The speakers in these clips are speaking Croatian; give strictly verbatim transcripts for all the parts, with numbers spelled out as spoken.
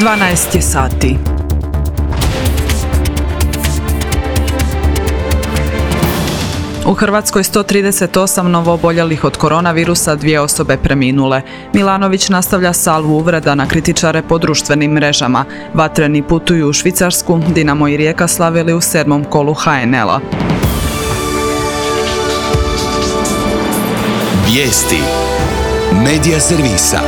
dvanaest je sati. U Hrvatskoj sto trideset osam novooboljelih od koronavirusa, dvije osobe preminule. Milanović nastavlja salvu uvreda na kritičare po društvenim mrežama. Vatreni putuju u Švicarsku, Dinamo i Rijeka slavili u sedmom kolu ha en el-a. Vijesti Medija servisa.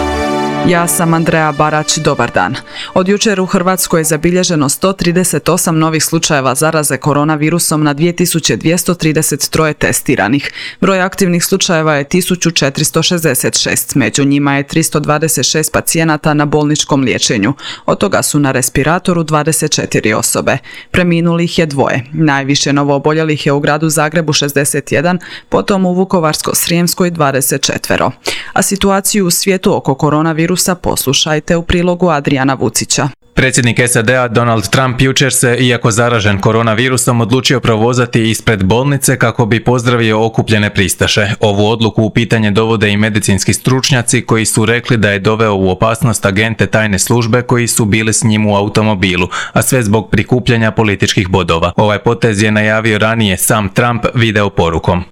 Ja sam Andreja Barać, dobar dan. Od jučer u Hrvatskoj je zabilježeno sto trideset osam novih slučajeva zaraze koronavirusom na dvije tisuće dvjesto trideset tri testiranih. Broj aktivnih slučajeva je tisuću četiristo šezdeset šest, među njima je tristo dvadeset šest pacijenata na bolničkom liječenju. Od toga su na respiratoru dvadeset četiri osobe. Preminulih je dvoje. Najviše novooboljelih je u gradu Zagrebu šezdeset jedan, potom u Vukovarsko-srijemskoj dvadeset četiri. A situaciju u svijetu oko koronavirusa poslušajte u prilogu Adrijana Vucića. Predsjednik es a de a Donald Trump jučer se, iako zaražen koronavirusom, odlučio provozati ispred bolnice kako bi pozdravio okupljene pristaše. Ovu odluku u pitanje dovode i medicinski stručnjaci koji su rekli da je doveo u opasnost agente tajne službe koji su bili s njim u automobilu, a sve zbog prikupljanja političkih bodova. Ovaj potez je najavio ranije sam Trump video porukom.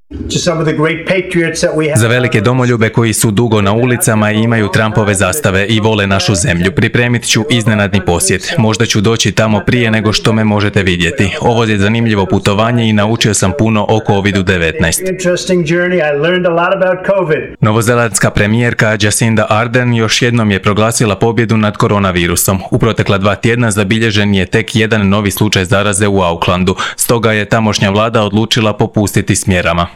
Za velike domoljube koji su dugo na ulicama i imaju Trumpove zastave i vole našu zemlju, pripremit ću iznenadni posjet. Možda ću doći tamo prije nego što me možete vidjeti. Ovo je zanimljivo putovanje i naučio sam puno o kovid devetnaest. Novozelandska premijerka Jacinda Ardern još jednom je proglasila pobjedu nad koronavirusom. U protekla dva tjedna zabilježen je tek jedan novi slučaj zaraze u Aucklandu. Stoga je tamošnja vlada odlučila popustiti s mjerama.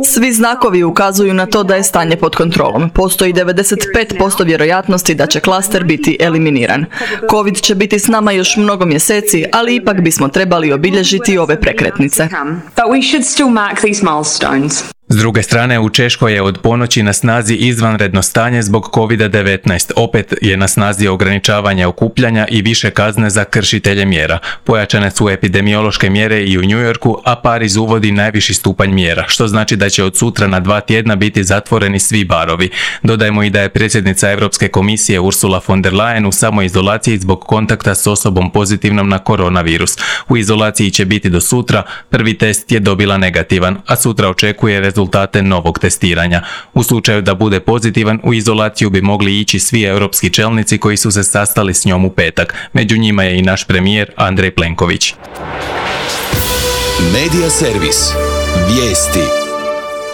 Svi znakovi ukazuju na to da je stanje pod kontrolom. Postoji devedeset pet posto vjerojatnosti da će klaster biti eliminiran. Covid će biti s nama još mnogo mjeseci, ali ipak bismo trebali obilježiti ove prekretnice. S druge strane, u Češkoj je od ponoći na snazi izvanredno stanje zbog kovid devetnaest. Opet je na snazi ograničavanje okupljanja i više kazne za kršitelje mjera. Pojačane su epidemiološke mjere i u New Yorku, a Pariz uvodi najviši stupanj mjera, što znači da će od sutra na dva tjedna biti zatvoreni svi barovi. Dodajmo i da je predsjednica Europske komisije Ursula von der Leyen u samoizolaciji zbog kontakta s osobom pozitivnom na koronavirus. U izolaciji će biti do sutra, prvi test je dobila negativan, a sutra očekuje rezultat rezultate novog testiranja. U slučaju da bude pozitivan, u izolaciju bi mogli ići svi europski čelnici koji su se sastali s njom u petak. Među njima je i naš premijer Andrej Plenković. Medija servis. Vijesti.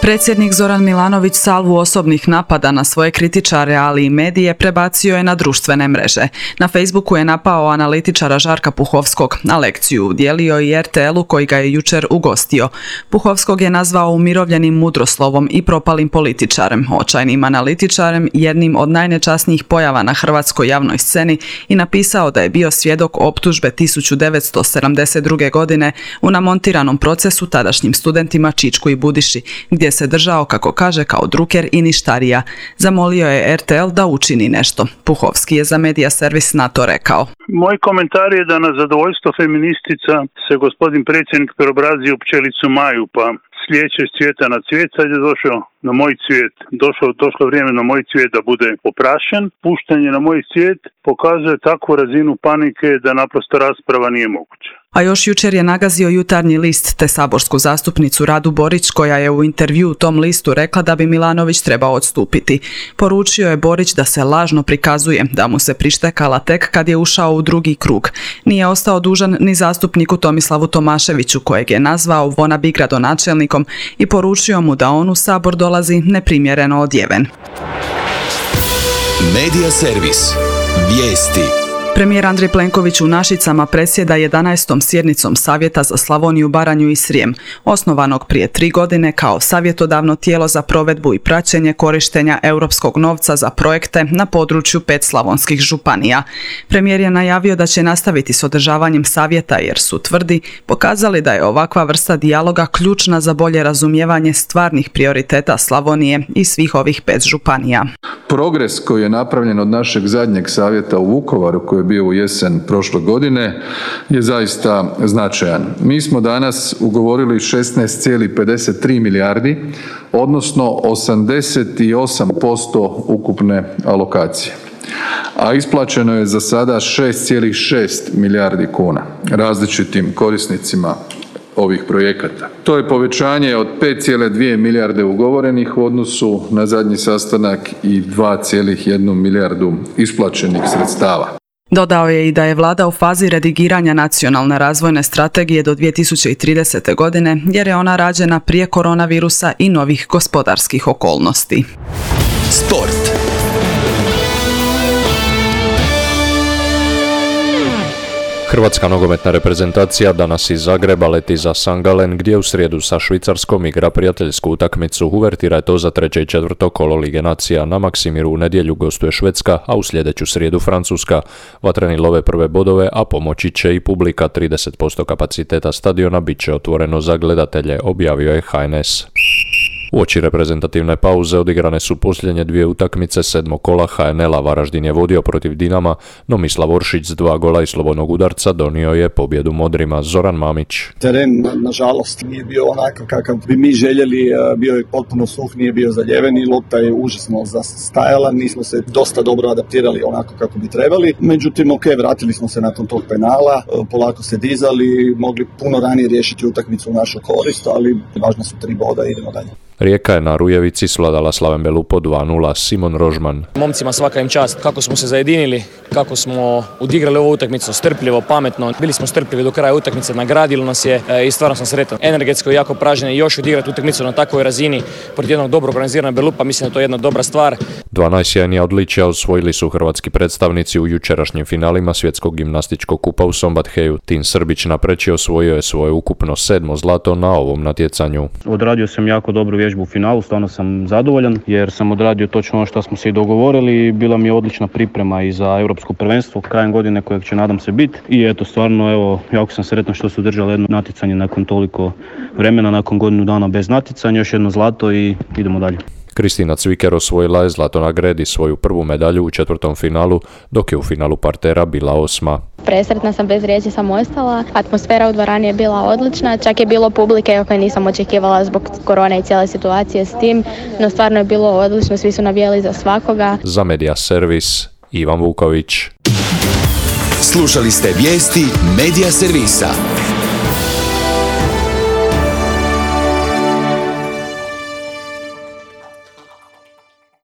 Predsjednik Zoran Milanović salvu osobnih napada na svoje kritičare, ali i medije prebacio je na društvene mreže. Na Facebooku je napao analitičara Žarka Puhovskog, a lekciju udjelio i er te el-u koji ga je jučer ugostio. Puhovskog je nazvao umirovljenim mudroslovom i propalim političarem, očajnim analitičarem, jednim od najnečasnijih pojava na hrvatskoj javnoj sceni i napisao da je bio svjedok optužbe tisuću devetsto sedamdeset druge. godine u namontiranom procesu tadašnjim studentima Čičku i Budiši, gdje se držao, kako kaže, kao druker i ništarija. Zamolio je er te el da učini nešto. Puhovski je za Medija servis na to rekao. Moj komentar je da na zadovoljstvo feministica se gospodin predsjednik preobrazio u pčelicu Maju, pa slijeće s cvijeta na cvijet, sad je došao na moj cvijet. Došlo, došlo vrijeme na moj cvijet da bude oprašen. Puštanje na moj cvijet pokazuje takvu razinu panike da naprosto rasprava nije moguća. A još jučer je nagazio Jutarnji list te saborsku zastupnicu Radu Borić, koja je u intervju u tom listu rekla da bi Milanović trebao odstupiti. Poručio je Borić da se lažno prikazuje, da mu se prištekala tek kad je ušao u drugi krug. Nije ostao dužan ni zastupniku Tomislavu Tomaševiću, kojeg je nazvao wannabe gradonačelnikom i poručio mu da on u Sabor dolazi neprimjereno odjeven. Medija servis. Vijesti. Premijer Andrej Plenković u Našicama predsjeda jedanaestom sjednicom Savjeta za Slavoniju, Baranju i Srijem, osnovanog prije tri godine kao savjetodavno tijelo za provedbu i praćenje korištenja europskog novca za projekte na području pet slavonskih županija. Premijer je najavio da će nastaviti s održavanjem savjeta jer su, tvrdi, pokazali da je ovakva vrsta dijaloga ključna za bolje razumijevanje stvarnih prioriteta Slavonije i svih ovih pet županija. Progres koji je napravljen od našeg zadnjeg savjeta u Vukovaru, koji je bio u jesen prošle godine, je zaista značajan. Mi smo danas ugovorili šesnaest zarez pedeset tri milijardi, odnosno osamdeset osam posto ukupne alokacije. a isplaćeno je za sada šest zarez šest milijardi kuna različitim korisnicima ovih projekata. To je povećanje od pet zarez dvije milijarde ugovorenih u odnosu na zadnji sastanak i dva zarez jednu milijardu isplaćenih sredstava. Dodao je i da je vlada u fazi redigiranja nacionalne razvojne strategije do dvije tisuće tridesete. godine, jer je ona rađena prije koronavirusa i novih gospodarskih okolnosti. Sport. Hrvatska nogometna reprezentacija danas iz Zagreba leti za San Gallen gdje u srijedu sa Švicarskom igra prijateljsku utakmicu. Uvertira je to za treće i četvrto kolo Lige nacija. Na Maksimiru u nedjelju gostuje Švedska, a u sljedeću srijedu Francuska. Vatreni love prve bodove, a pomoći će i publika. trideset posto kapaciteta stadiona bit će otvoreno za gledatelje, objavio je H N S. Uoči reprezentativne pauze odigrane su posljednje dvije utakmice sedmog kola H N L-a. Varaždin je vodio protiv Dinama, no Mislav Oršić s dva gola i slobodnog udarca donio je pobjedu modrima. Zoran Mamić. Teren, nažalost, nije bio onako kakav bi mi željeli, bio je potpuno suh, nije bio zaljeven i lopta je užasno zastajala, nismo se dosta dobro adaptirali onako kako bi trebali. Međutim, ok, vratili smo se nakon tog penala, polako se dizali, mogli puno ranije riješiti utakmicu u našu korist, ali važne su tri boda i idemo dalje. Rijeka je na Rujevici svladala Slaven Belupo dva nula. Simon Rožman. Momcima svaka im čast. Kako smo se zajedinili, kako smo odigrali ovu utakmicu strpljivo, pametno. Bili smo strpljivi do kraja utakmice, nagradilo nas je i stvarno sam sretan. Energetsko jako pražnje i još odigrati utakmicu na takvoj razini protiv jednog dobro organiziranog Belupa, mislim da to je jedna dobra stvar. Dva najsjajnija odličja osvojili su hrvatski predstavnici u jučerašnjim finalima svjetskog gimnastičkog kupa u Sombatheju. Tin Srbić napreči osvojio je svoje ukupno sedmo zlato na ovom natjecanju. Odradio sam jako dobru vježbu u finalu, stvarno sam zadovoljan jer sam odradio točno ono što smo se i dogovorili i bila mi je odlična priprema i za europsko prvenstvo krajem godine kojeg će nadam se biti. I eto stvarno evo jako sam sretan što su držali jedno natjecanje nakon toliko vremena, nakon godinu dana bez natjecanja, još jedno zlato i idemo dalje. Kristina Cviker osvojila je zlato na gredi, svoju prvu medalju u četvrtom finalu, dok je u finalu partera bila osma. Presretna sam, bez riječi sam ostala. Atmosfera u dvorani je bila odlična, čak je bilo publike koje nisam očekivala zbog korone i cijele situacije s tim, no stvarno je bilo odlično, svi su navijali za svakoga. Za Media Servis, Ivan Vuković. Slušali ste vijesti Media Servisa.